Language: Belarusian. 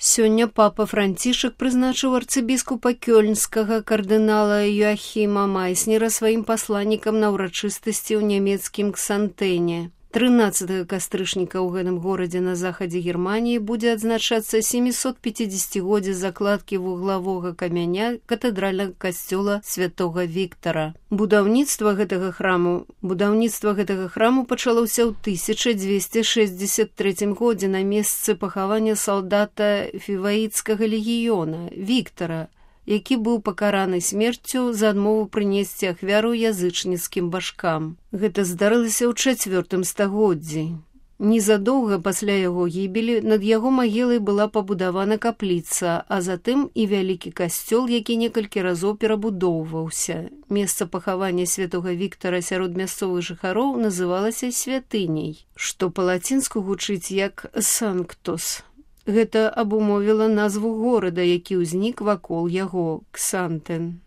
Сёння папа Францішак прызначыў арцыбіскупа кёльнскага кардынала Йоахіма Майснера сваім пасланнікам на ўрачыстасці ў нямецкім Ксантэне. 13 кастрычніка ў гэтым горадзе на захадзе Германіі будзе адзначацца 750-годдзе закладкі вуглавога камяня катэдральнага касцёла святога Віктара. Будаўніцтва гэтага храму пачалося ў 1263 годзе на месцы пахавання салдата фіваіцкага легіёна Віктара, які быў пакараны смерцю за адмову прынесці ахвяру язычніцкім башкам. Гэта здарылася ў 4 стагоддзі. Незадоўга пасля яго гібелі над яго магілай была пабудавана капліца, а затым і вялікі касцёл, які некалькі разоў перабудоўваўся. Месца пахавання святога Віктара сярод мясцовых жыхароў называлася святыняй, што па-лацінску гучыць як «санктус». Гэта абумовіла назву горада, які ўзнік вакол яго – Ксантэн.